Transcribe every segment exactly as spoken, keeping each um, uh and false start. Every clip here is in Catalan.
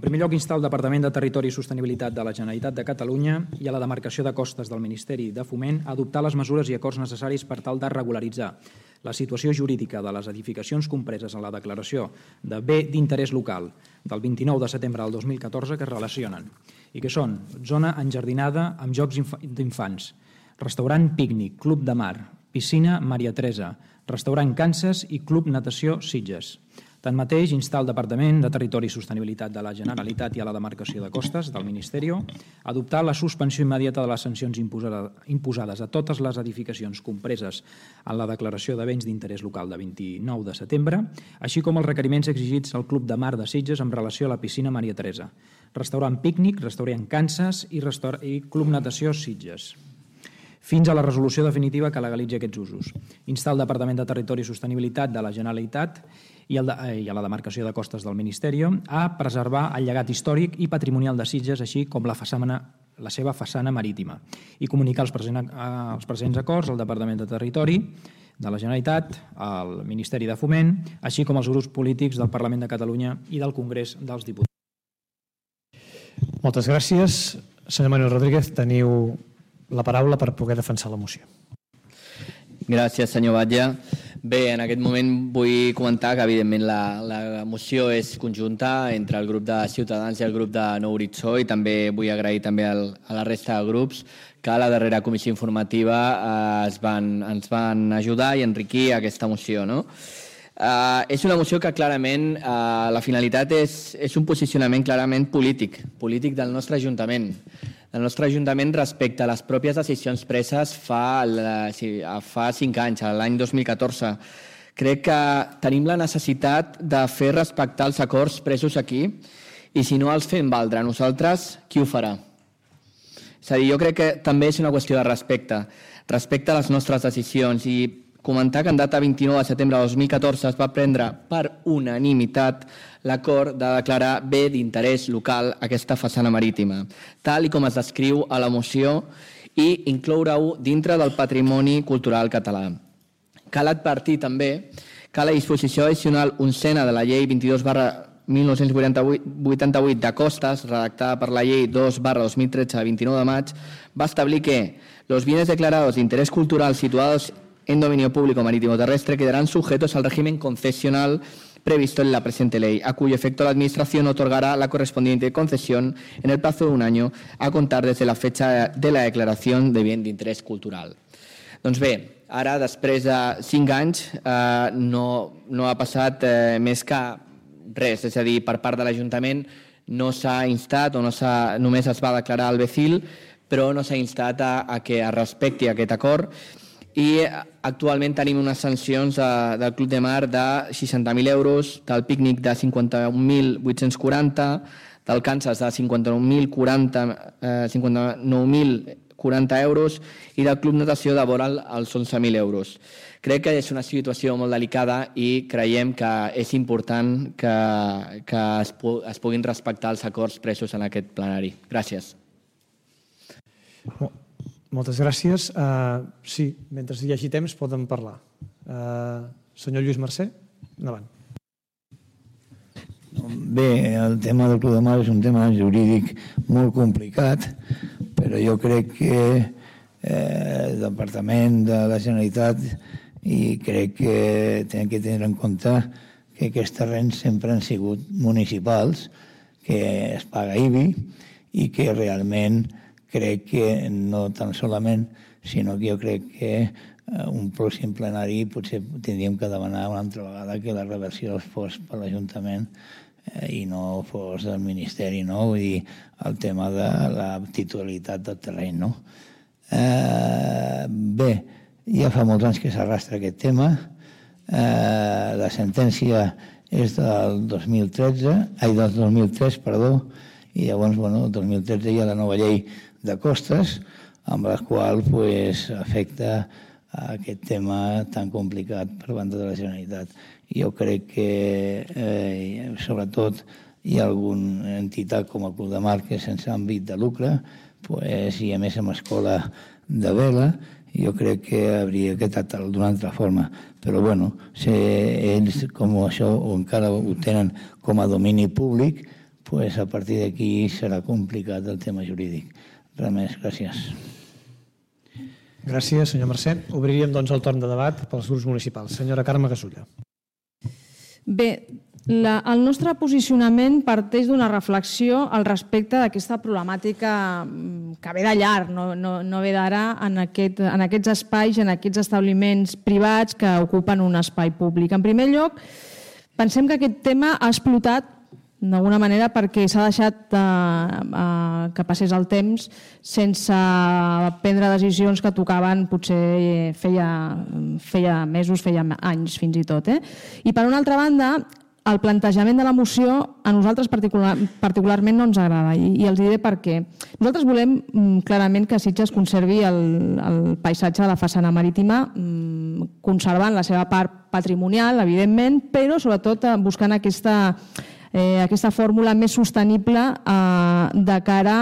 En primer lloc, instar el Departament de Territori i Sostenibilitat de la Generalitat de Catalunya i a la demarcació de costes del Ministeri de Foment a adoptar les mesures i acords necessaris per tal de regularitzar la situació jurídica de les edificacions compreses en la declaració de bé d'interès local del vint-i-nou de setembre del dos mil catorze que es relacionen i que són zona enjardinada amb jocs d'infants, restaurant Pícnic, Club de Mar, piscina Maria Teresa, restaurant Kansas i Club Natació Sitges. Tanmateix, instar el Departament de Territori i Sostenibilitat de la Generalitat i a la demarcació de costes del Ministeri a adoptar la suspensió immediata de les sancions imposades a totes les edificacions compreses en la declaració de béns d'interès local de vint-i-nou de setembre, així com els requeriments exigits al Club de Mar de Sitges en relació a la piscina Maria Teresa, restaurant Pícnic, restaurant Kansas i Club Natació Sitges, fins a la resolució definitiva que legalitzi aquests usos. Instar el Departament de Territori i Sostenibilitat de la Generalitat i a la demarcació de costes del Ministeri a preservar el llegat històric i patrimonial de Sitges, així com la seva façana marítima, i comunicar els presents acords al Departament de Territori de la Generalitat, al Ministeri de Foment, així com als grups polítics del Parlament de Catalunya i del Congrés dels Diputats. Moltes gràcies. Senyor Manuel Rodríguez, teniu la paraula per poder defensar la moció. Gràcies, senyor Batlle. Bé, en aquest moment vull comentar que, evidentment, la moció és conjunta entre el grup de Ciutadans i el grup de Nou Horitzó i també vull agrair també a la resta de grups que a la darrera comissió informativa ens van ajudar i enriquir aquesta moció. És una moció que clarament la finalitat és un posicionament clarament polític, polític del nostre Ajuntament. El nostre Ajuntament respecte a les pròpies decisions preses fa cinc anys, l'any dos mil catorze. Crec que tenim la necessitat de fer respectar els acords presos aquí i si no els fem valdre nosaltres, qui ho farà? És a dir, jo crec que també és una qüestió de respecte, respecte a les nostres decisions i comentar que en data vint-i-nou de setembre de dos mil catorze es va prendre per unanimitat l'acord de declarar bé d'interès local aquesta façana marítima, tal com es descriu a la moció i incloure-ho dintre del patrimoni cultural català. Cal advertir també que la disposició addicional onzena de la llei vint-i-dos barra mil nou-cents vuitanta-vuit de costes, redactada per la llei dos barra dos mil tretze de vint-i-nou de maig, va establir que los bienes declarados de interés cultural situados en dominio público marítimo terrestre quedarán sujetos al régimen concesional previsto en la presente ley, a cuyo efecto la Administración otorgará la correspondiente concesión en el plazo de un año a contar desde la fecha de la declaración de bien d'interès cultural. Doncs bé, ara, després de cinc anys, no ha passat més que res, és a dir, per part de l'Ajuntament no s'ha instat o només es va declarar el B C I L, però no s'ha instat a que es respecti aquest acord i actualment tenim unes sancions del Club de Mar de seixanta mil euros, del Pícnic de cinquanta-un mil vuit-cents quaranta, del Kansas de cinquanta-nou mil quaranta euros i del Club Natació de vora els onze mil euros. Crec que és una situació molt delicada i creiem que és important que es puguin respectar els acords presos en aquest plenari. Gràcies. Moltes gràcies. Sí, mentre hi hagi temps poden parlar. Senyor Lluís Mercè, endavant. Bé, el tema del Club de Mar és un tema jurídic molt complicat, però jo crec que el Departament de la Generalitat i crec que hem de tenir en compte que aquests terrenys sempre han sigut municipals, que es paga I B I i que realment crec que no tan solament, sinó que jo crec que un pròxim plenari potser tindríem que demanar una altra vegada que la reversió fos per l'Ajuntament i no fos del Ministeri, no? Vull dir, el tema de la titularitat del terreny, no? Bé, ja fa molts anys que s'arrastra aquest tema. La sentència és del dos mil tretze, ai, del dos mil tres, perdó, i llavors, bueno, el dos mil tretze hi ha la nova llei de costes, amb la qual afecta aquest tema tan complicat per banda de la Generalitat. Jo crec que, sobretot, hi ha alguna entitat com el Club de Mar que sense àmbit de lucre, i a més amb escola de vela, jo crec que hauria que tractar-lo d'una altra forma. Però, bueno, ells com això encara ho tenen com a domini públic, pues a partir d'aquí serà complicat el tema jurídic. Res més, gràcies. Gràcies, senyor Mercè. Obriríem doncs el torn de debat pels grups municipals. Senyora Carme Gasulla. Bé, la, el nostre posicionament parteix d'una reflexió al respecte d'aquesta problemàtica que ve de llarg, no, no, no ve d'ara en, aquest, en aquests espais, en aquests establiments privats que ocupen un espai públic. En primer lloc, pensem que aquest tema ha explotat d'alguna manera perquè s'ha deixat eh, eh, que passés el temps sense prendre decisions que tocaven potser feia, feia mesos, feia anys fins i tot. Eh? I per una altra banda, el plantejament de la moció a nosaltres particular, particularment no ens agrada i, i els diré per què. Nosaltres volem clarament que Sitges conservi el, el paisatge de la façana marítima, conservant la seva part patrimonial, evidentment, però sobretot buscant aquesta Eh, aquesta fórmula més sostenible eh, de cara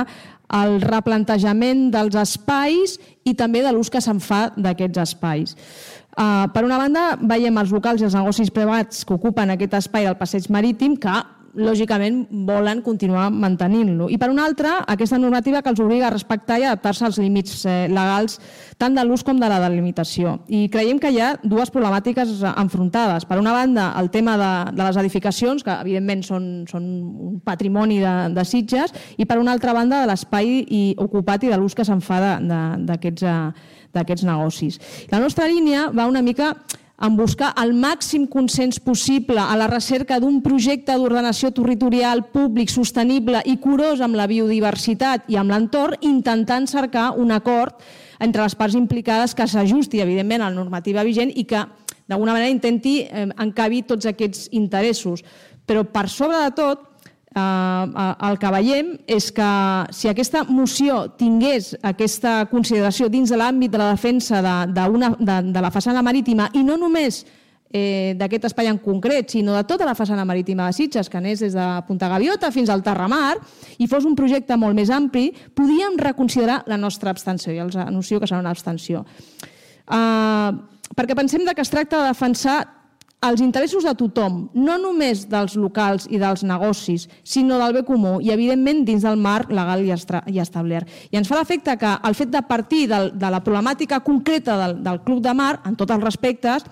al replantejament dels espais i també de l'ús que se'n fa d'aquests espais. Eh, per una banda, veiem els locals i els negocis privats que ocupen aquest espai del passeig marítim que lògicament volen continuar mantenint-lo. I per una altra, aquesta normativa que els obliga a respectar i adaptar-se als límits eh, legals tant de l'ús com de la delimitació. I creiem que hi ha dues problemàtiques enfrontades. Per una banda, el tema de, de les edificacions, que evidentment són, són un patrimoni de, de Sitges, i per una altra banda, de l'espai ocupat i de l'ús que se'n fa d'aquests negocis. La nostra línia va una mica en buscar el màxim consens possible a la recerca d'un projecte d'ordenació territorial públic, sostenible i curós amb la biodiversitat i amb l'entorn, intentant cercar un acord entre les parts implicades que s'ajusti, evidentment, a la normativa vigent i que, d'alguna manera, intenti encabir tots aquests interessos. Però, per sobre de tot, el que veiem és que si aquesta moció tingués aquesta consideració dins de l'àmbit de la defensa de, de, una, de, de la façana marítima i no només eh, d'aquest espai en concret, sinó de tota la façana marítima de Sitges, que anés des de Punta Gaviota fins al Terramar, i fos un projecte molt més ampli, podíem reconsiderar la nostra abstenció, i els anuncio que serà una abstenció. Uh, perquè pensem que es tracta de defensar els interessos de tothom, no només dels locals i dels negocis, sinó del bé comú i, evidentment, dins del marc legal i establert. I ens fa l'efecte que el fet de partir de la problemàtica concreta del, del Club de Mar, en tots els respectes,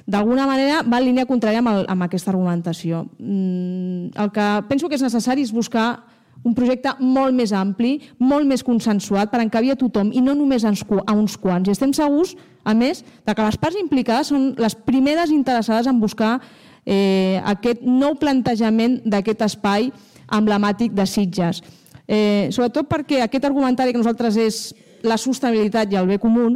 d'alguna manera va en línia contrària amb, el, amb aquesta argumentació. El que penso que és necessari és buscar un projecte molt més ampli, molt més consensuat per encabir a tothom i no només a uns quants. I estem segurs, a més, que les parts implicades són les primeres interessades en buscar eh, aquest nou plantejament d'aquest espai emblemàtic de Sitges. Eh, sobretot perquè aquest argumentari que nosaltres és la sostenibilitat i el bé comú,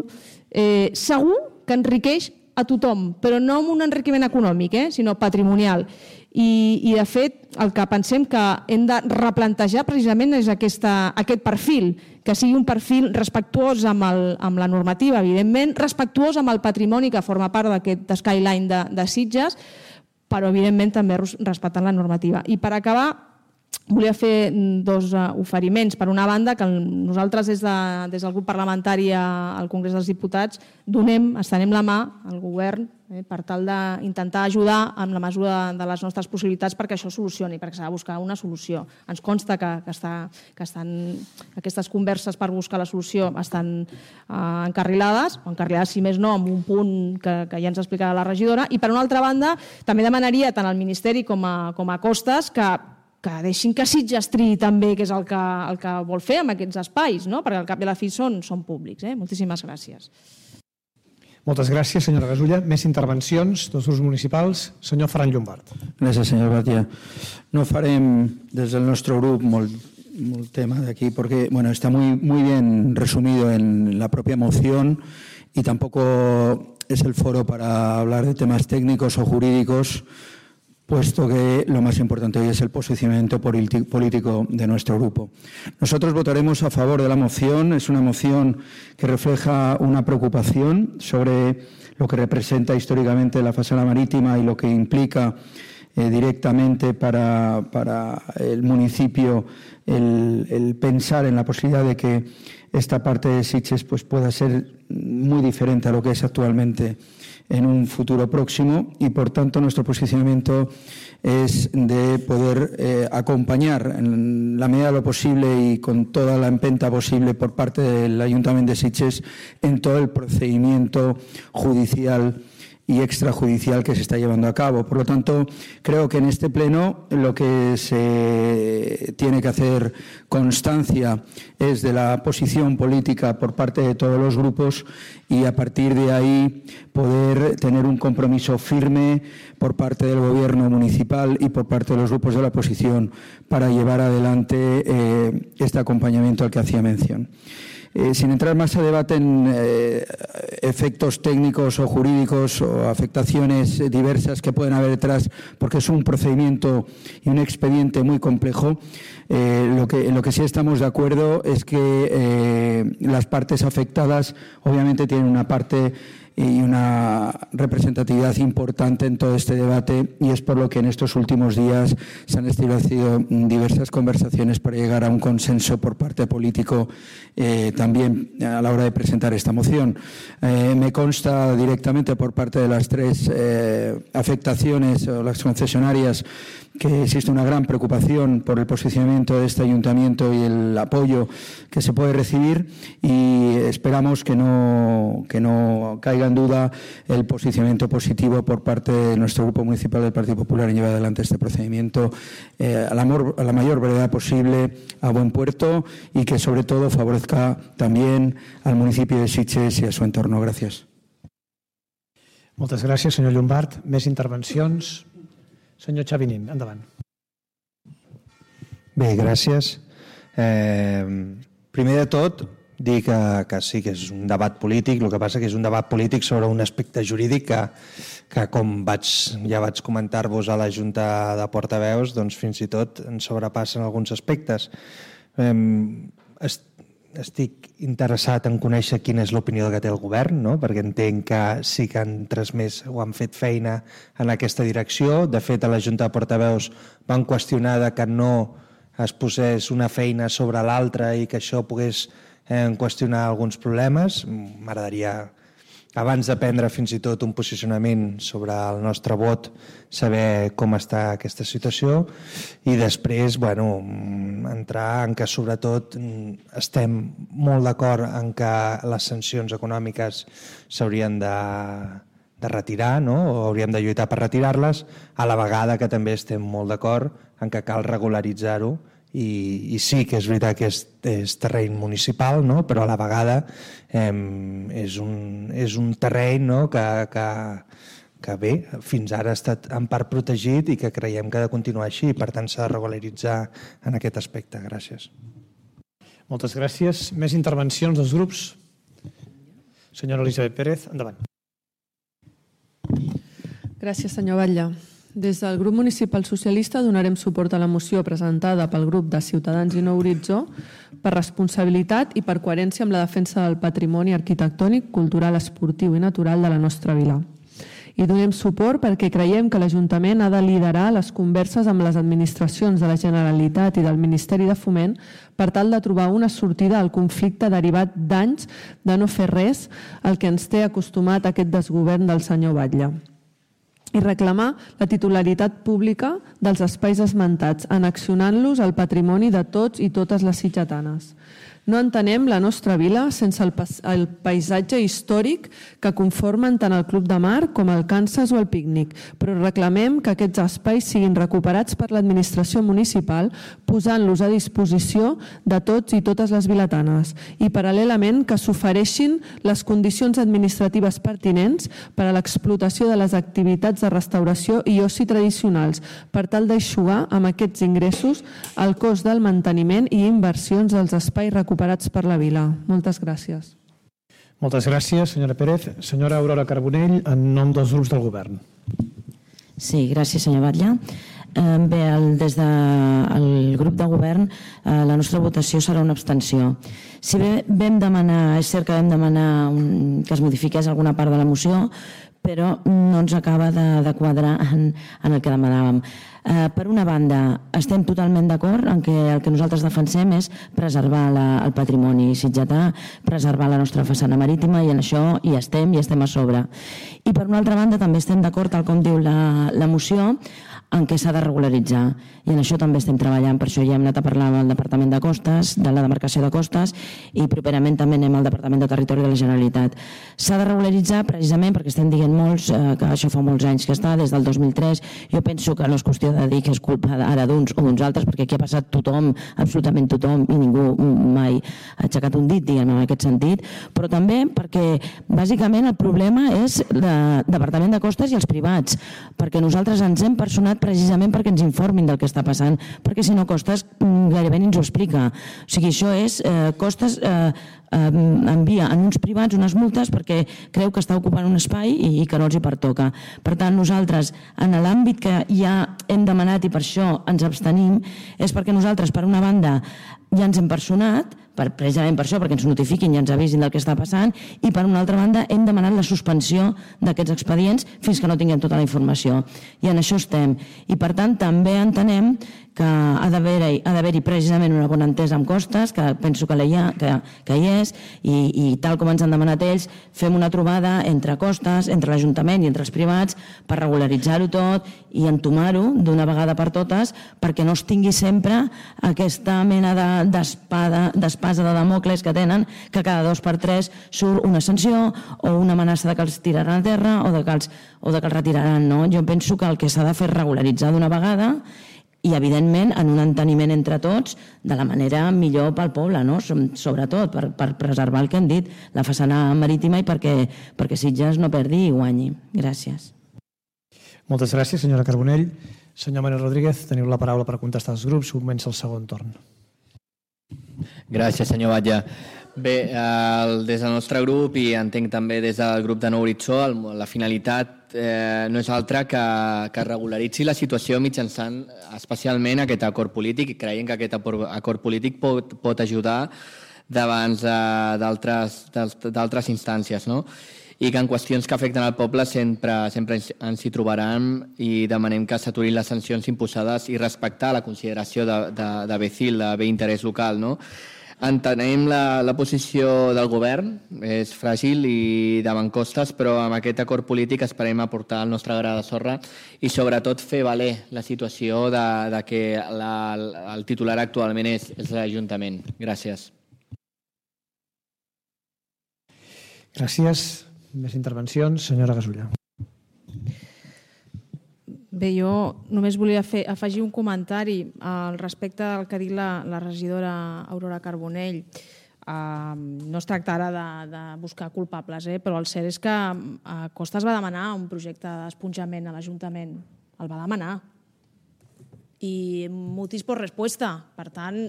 eh, segur que enriqueix a tothom, però no amb un enriquiment econòmic, eh, sinó patrimonial. I, i de fet, el que pensem que hem de replantejar precisament és aquesta, aquest perfil, que sigui un perfil respectuós amb, el, amb la normativa, evidentment, respectuós amb el patrimoni que forma part d'aquest skyline de, de Sitges, però evidentment també respectant la normativa. I per acabar, volia fer dos oferiments. Per una banda, que nosaltres des, de, des del grup parlamentari al Congrés dels Diputats donem, estenem la mà al govern eh, per tal d'intentar ajudar amb la mesura de les nostres possibilitats perquè això solucioni, perquè s'ha de buscar una solució. Ens consta que, que, està, que estan, aquestes converses per buscar la solució estan eh, encarrilades, o encarrilades, si més no, amb un punt que, que ja ens explicarà la regidora. I per una altra banda, també demanaria tant al Ministeri com a, com a Costes que que deixin que Sitges triï també què és el que, el que vol fer amb aquests espais, no? Perquè al cap i a la fi són, són públics. Eh? Moltíssimes gràcies. Moltes gràcies, senyora Gasulla. Més intervencions dels grups municipals. Senyor Ferran Llombart. Gràcies, senyor Batia. No farem des del nostre grup molt, molt tema d'aquí, porque bueno, está muy, muy bien resumido en la propia moción y tampoco es el foro para hablar de temas técnicos o jurídicos, puesto que lo más importante hoy es el posicionamiento político de nuestro grupo. Nosotros votaremos a favor de la moción. Es una moción que refleja una preocupación sobre lo que representa históricamente la façana marítima y lo que implica eh, directamente para, para el municipio el, el pensar en la posibilidad de que esta parte de Sitges pues, pueda ser muy diferente a lo que es actualmente en un futuro próximo y, por tanto, nuestro posicionamiento es de poder eh, acompañar en la medida de lo posible y con toda la empenta posible por parte del Ayuntamiento de Sitges en todo el procedimiento judicial y extrajudicial que se está llevando a cabo. Por lo tanto, creo que en este pleno lo que se tiene que hacer constancia es de la posición política por parte de todos los grupos y a partir de ahí poder tener un compromiso firme por parte del Gobierno municipal y por parte de los grupos de la oposición para llevar adelante eh, este acompañamiento al que hacía mención. Eh, sin entrar más a debate en eh, efectos técnicos o jurídicos o afectaciones diversas que pueden haber detrás, porque es un procedimiento y un expediente muy complejo, eh, lo que, en lo que sí estamos de acuerdo es que eh, las partes afectadas obviamente tienen una parte y una representatividad importante en todo este debate y es por lo que en estos últimos días se han establecido diversas conversaciones para llegar a un consenso por parte político eh, también a la hora de presentar esta moción. Eh, me consta directamente por parte de las tres eh, afectaciones o las concesionarias que existe una gran preocupación por el posicionamiento de este ayuntamiento y el apoyo que se puede recibir y esperamos que no, que no caiga en duda el posicionamiento positivo por parte de nuestro Grupo Municipal del Partido Popular en llevar adelante este procedimiento eh, a, la amor, a la mayor brevedad posible, a buen puerto y que sobre todo favorezca también al municipio de Sitges y a su entorno. Gràcies. Moltes gràcies, senyor Llombart. Més intervencions? Senyor Xavinín, endavant. Bé, gràcies. Eh, primer de tot, dir que, que sí que és un debat polític, el que passa que és un debat polític sobre un aspecte jurídic que, que com vaig, ja vaig comentar-vos a la Junta de Portaveus, doncs fins i tot ens sobrepassen alguns aspectes. Eh, est, estic interessat en conèixer quina és l'opinió que té el govern, no? Perquè entenc que sí que han transmès o han fet feina en aquesta direcció. De fet, a la Junta de Portaveus van qüestionar que no es posés una feina sobre l'altra i que això pogués eh, qüestionar alguns problemes. M'agradaria, abans de prendre fins i tot un posicionament sobre el nostre vot, saber com està aquesta situació i després bueno, entrar en que sobretot estem molt d'acord en que les sancions econòmiques s'haurien de, de retirar, no? O hauríem de lluitar per retirar-les, a la vegada que també estem molt d'acord en que cal regularitzar-ho i, i sí que és veritat que és, és terreny municipal, no? Però a la vegada eh, és, un, és un terreny, no? que, que, que bé, fins ara ha estat en part protegit i que creiem que ha de continuar així i per tant s'ha de regularitzar en aquest aspecte. Gràcies. Moltes gràcies. Més intervencions dels grups? Senyora Elisabet Pérez, endavant. Gràcies, senyor Batlle. Des del grup municipal socialista donarem suport a la moció presentada pel grup de Ciutadans i Nou Horitzó per responsabilitat i per coherència amb la defensa del patrimoni arquitectònic, cultural, esportiu i natural de la nostra vila. I donem suport perquè creiem que l'Ajuntament ha de liderar les converses amb les administracions de la Generalitat i del Ministeri de Foment per tal de trobar una sortida al conflicte derivat d'anys de no fer res al que ens té acostumat aquest desgovern del senyor Batlle. I reclamar la titularitat pública dels espais esmentats, annexionant-los al patrimoni de tots i totes les sitgetanes. No entenem la nostra vila sense el, el paisatge històric que conformen tant el Club de Mar com el Kansas o el Pícnic, però reclamem que aquests espais siguin recuperats per l'administració municipal posant-los a disposició de tots i totes les vilatanes i paral·lelament que s'ofereixin les condicions administratives pertinents per a l'explotació de les activitats de restauració i oci tradicionals per tal d'eixugar amb aquests ingressos el cost del manteniment i inversions dels espais recuperats recuperats per la vila. Moltes gràcies. Moltes gràcies, senyora Pérez. Senyora Aurora Carbonell, en nom dels grups del govern. Sí, gràcies, senyor Batlle. Eh, bé, el, des del grup de govern eh, la nostra votació serà una abstenció. Si bé vam demanar, és cert que vam demanar un, que es modifiqués alguna part de la moció, però no ens acaba de, de quadrar en, en el que demanàvem. Eh, per una banda, estem totalment d'acord en que el que nosaltres defensem és preservar la, el patrimoni sitgetà, preservar la nostra façana marítima, i en això hi estem, i estem a sobre. I per una altra banda també estem d'acord, tal com diu la, la moció, en què s'ha de regularitzar, i en això també estem treballant. Per això ja hem anat a parlar amb el Departament de Costes, de la demarcació de Costes, i properament també anem al Departament de Territori de la Generalitat. S'ha de regularitzar precisament perquè estem dient molts que això fa molts anys que està, des del dos mil tres. Jo penso que no és qüestió de dir que és culpa ara d'uns o d'uns altres, perquè aquí ha passat tothom, absolutament tothom, i ningú mai ha aixecat un dit, diguem, en aquest sentit, però també perquè bàsicament el problema és el Departament de Costes i els privats, perquè nosaltres ens hem personat precisament perquè ens informin del que està passant, perquè si no Costes gairebé ni ens ho explica. O sigui, això és, eh, Costes eh, eh, envia en uns privats unes multes perquè creu que està ocupant un espai i, i que no els hi pertoca. Per tant, nosaltres, en l'àmbit que ja hem demanat i per això ens abstenim, és perquè nosaltres, per una banda, ja ens hem personat, per, precisament per això, perquè ens notifiquin i ens avisin del que està passant, i per una altra banda hem demanat la suspensió d'aquests expedients fins que no tinguem tota la informació. I en això estem. I per tant també entenem que ha d'haver-hi ha d'haver-hi precisament una bona entesa amb Costes, que penso que, hi, ha, que, que hi és, i, i tal com ens han demanat ells, fem una trobada entre Costes, entre l'Ajuntament i entre els privats, per regularitzar-ho tot i entomar-ho d'una vegada per totes, perquè no es tingui sempre aquesta mena d'espada d'espasa de Damocles que tenen, que cada dos per tres surt una sanció o una amenaça de que els tiraran a terra o de que els, o de que els retiraran. No? Jo penso que el que s'ha de fer és regularitzar d'una vegada i, evidentment, en un enteniment entre tots de la manera millor pel poble, no? Sobretot per, per preservar el que hem dit, la façana marítima, i perquè, perquè Sitges no perdi i guanyi. Gràcies. Moltes gràcies, senyora Carbonell. Senyor Manuel Rodríguez, teniu la paraula per contestar als grups. Comença el segon torn. Gràcies, senyor Batlle. Bé, el, des del nostre grup i entenc també des del grup de Nou Horitzó, el, la finalitat eh, no és altra que, que regularitzi la situació mitjançant especialment aquest acord polític, i creiem que aquest acord polític pot, pot ajudar davant d'altres instàncies, no? I que en qüestions que afecten al poble sempre, sempre ens hi trobaran, i demanem que s'aturin les sancions imposades i respectar la consideració de, de, de B C I L, de bé interès local, no? Entenem la, la posició del govern, és fràgil i davant Costes, però amb aquest acord polític esperem aportar el nostre gra de sorra i sobretot fer valer la situació de, de que la, el titular actualment és, és l'Ajuntament. Gràcies. Gràcies. Més intervencions. Senyora Gasulla. Bé, jo només volia fer, afegir un comentari al respecte del que ha dit la, la regidora Aurora Carbonell. Uh, no es tracta ara de, de buscar culpables, eh? Però el cert és que uh, Costes va demanar un projecte d'esponjament a l'Ajuntament. El va demanar. I motis por respuesta. Per tant,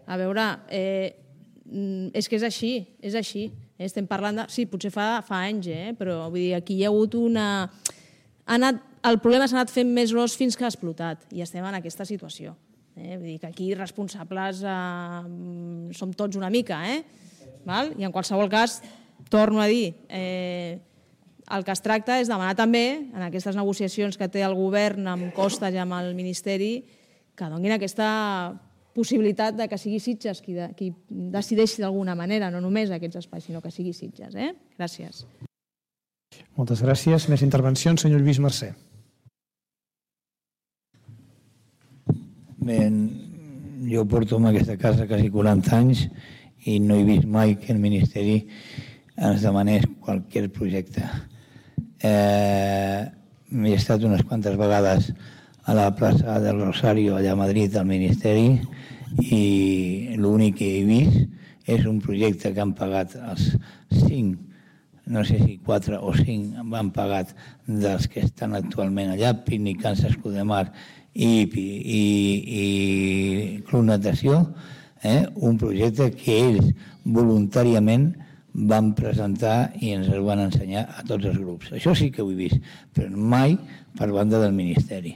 a veure, eh, és que és així, és així. Estem parlant de... Sí, potser fa, fa anys, eh? Però vull dir, aquí hi ha hagut una... Ha anat, el problema s'ha anat fent més gros fins que ha explotat, i estem en aquesta situació. Eh? Vull dir que aquí responsables eh, som tots una mica, eh? Val? I en qualsevol cas, torno a dir, eh, el que es tracta és demanar també, en aquestes negociacions que té el govern amb Costes i amb el Ministeri, que donin aquesta possibilitat de que sigui Sitges qui, de, qui decideixi d'alguna manera, no només aquests espais, sinó que sigui Sitges. Eh? Gràcies. Moltes gràcies. Més intervencions, senyor Lluís Mercè. Bé, jo porto en aquesta casa quasi quaranta anys i no he vist mai que el Ministeri ens demanés qualsevol projecte. Eh, he estat unes quantes vegades a la plaça del Rosario, allà a Madrid, al Ministeri, i l'únic que he vist és un projecte que han pagat els cinc, no sé si quatre o cinc han pagat dels que estan actualment allà, Pícnic, Can Escudemar i, i, i Club Natació, eh? Un projecte que ells voluntàriament van presentar i ens el van ensenyar a tots els grups. Això sí que ho he vist, però mai per banda del Ministeri.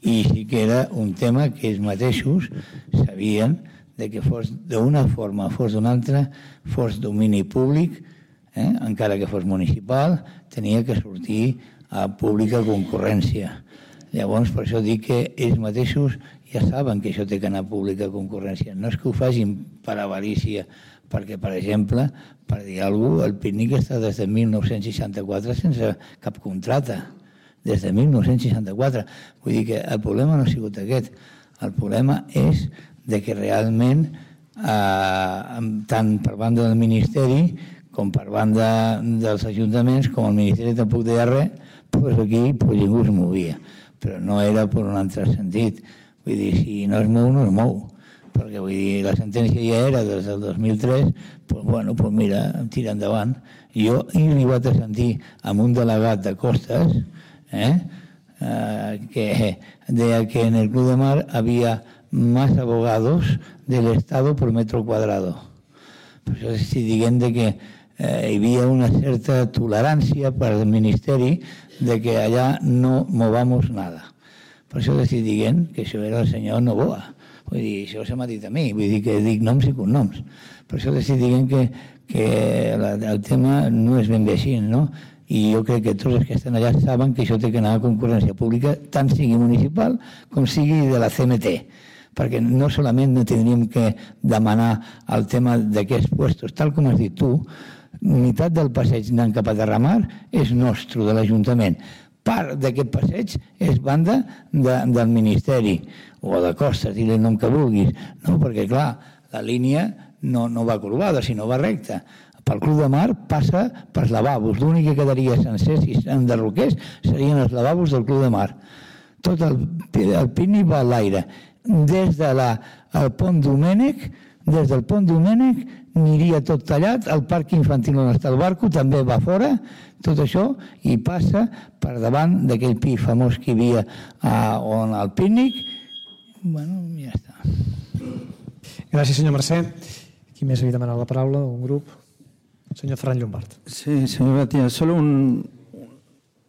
I sí que era un tema que ells mateixos sabien de que fos d'una forma, fos d'una altra, fos domini públic, eh? encara que fos municipal, tenia que sortir a pública concurrència. Llavors, per això dic que ells mateixos ja saben que això té que anar a pública concurrència. No és que ho facin per avarícia, perquè, per exemple, per dir alguna cosa, el pícnic està des de mil nou-cents seixanta-quatre sense cap contracte. Des de mil nou-cents seixanta-quatre. Vull dir que el problema no ha sigut aquest. El problema és de que realment, eh, tant per banda del Ministeri com per banda dels ajuntaments, com el Ministeri tampoc deia res, doncs aquí pues, ningú es movia. Però no era per un altre sentit. Vull dir, si no es mou, no es mou. Perquè vull dir, la sentència ja era des del dos mil tres, doncs bueno, doncs mira, tira endavant. Jo he arribat a sentir amb un delegat de Costes, eh, eh, que deia que en el Club de Mar había más abogados del Estado por metro cuadrado. Per això estic dient que eh, hi havia una certa tolerància per al Ministeri de que allà no movamos nada. Per això estic dient que això era el senyor Novoa. Vull dir, això se m'ha dit a mi, vull dir que dic noms i cognoms. Per això estic dient que, que la, el tema no és ben bé així, no? I jo crec que tots els que estan allà saben que això té que anar a concurrència pública, tant sigui municipal com sigui de la C M T, perquè no solament no tindríem que demanar el tema d'aquests puestos, tal com has dit tu, meitat del passeig anant cap a Terramar és nostre, de l'Ajuntament. Part d'aquest passeig és banda de, del Ministeri o de Costes, dir-li el nom que vulguis, no? Perquè clar, la línia no, no va corbada, sinó va recta. Pel Club de Mar passa pels lavabos. L'únic que quedaria sencer si s'enderroqués serien els lavabos del Club de Mar. Tot el, el pícnic va a l'aire. Des del de pont Domènec, des del pont Domènec aniria tot tallat, el parc infantil on està el barco també va fora, tot això, i passa per davant d'aquell pi famós que hi havia a, on al pícnic. Bueno, ja està. Gràcies, senyor Mercè. Qui més havia demanat la paraula? Un grup? Señor Ferran Llombart. Sí, señor Batia, solo un,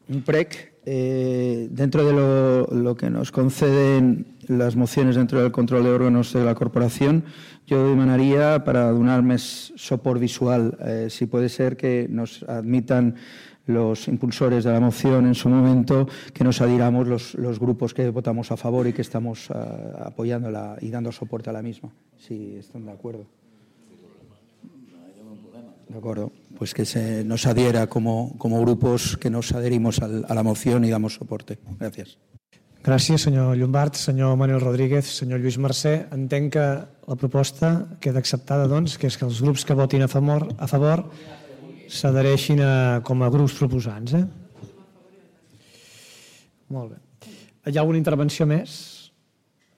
un prec. Eh, dentro de lo, lo que nos conceden las mociones dentro del control de órganos de la corporación, yo demanaría para donar más soporte visual, eh, si puede ser que nos admitan los impulsores de la moción en su momento, que nos adhiramos los, los grupos que votamos a favor y que estamos uh, apoyándola y dando soporte a la misma, si están de acuerdo. De acuerdo, pues que se nos adhiera como, como grupos que nos adherimos al, a la moción y damos soporte. Gràcies. Gràcies, senyor Llombart, senyor Manuel Rodríguez, senyor Lluís Mercè. Entenc que la proposta queda acceptada, doncs, que és que els grups que votin a favor, a favor s'adhereixin com a grups proposants. Eh? Molt bé. Hi ha alguna intervenció més?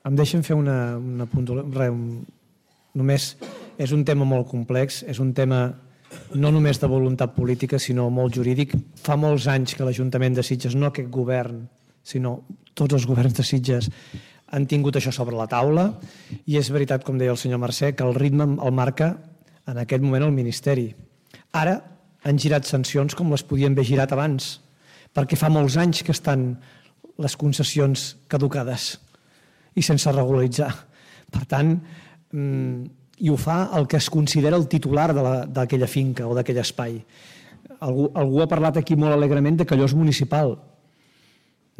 Em deixen fer una, una puntualització. Només és un tema molt complex, és un tema no només de voluntat política, sinó molt jurídic. Fa molts anys que l'Ajuntament de Sitges, no aquest govern, sinó tots els governs de Sitges, han tingut això sobre la taula, i és veritat, com deia el senyor Mercè, que el ritme el marca en aquest moment el Ministeri. Ara han girat sancions com les podien haver girat abans, perquè fa molts anys que estan les concessions caducades i sense regularitzar. Per tant, i ho fa el que es considera el titular d'aquella finca o d'aquell espai. Algú, algú ha parlat aquí molt alegrement de que allò és municipal.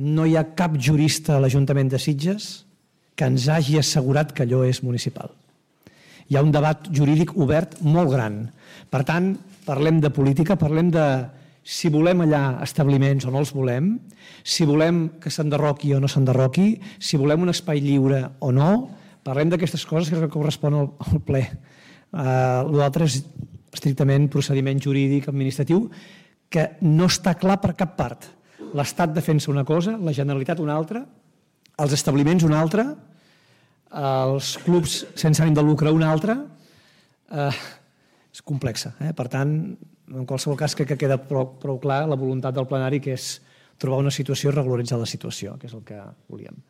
No hi ha cap jurista a l'Ajuntament de Sitges que ens hagi assegurat que allò és municipal. Hi ha un debat jurídic obert molt gran. Per tant, parlem de política, parlem de si volem allà establiments o no els volem, si volem que s'enderroqui o no s'enderroqui, si volem un espai lliure o no. Parlem d'aquestes coses que correspon al, al ple. Uh, L'altre és estrictament procediment jurídic administratiu que no està clar per cap part. L'Estat defensa una cosa, la Generalitat una altra, els establiments una altra, els clubs sense ànim de lucre una altra. Uh, és complexa. Eh? Per tant, en qualsevol cas crec que queda prou, prou clar la voluntat del plenari, que és trobar una situació i regularitzar la situació, que és el que volíem.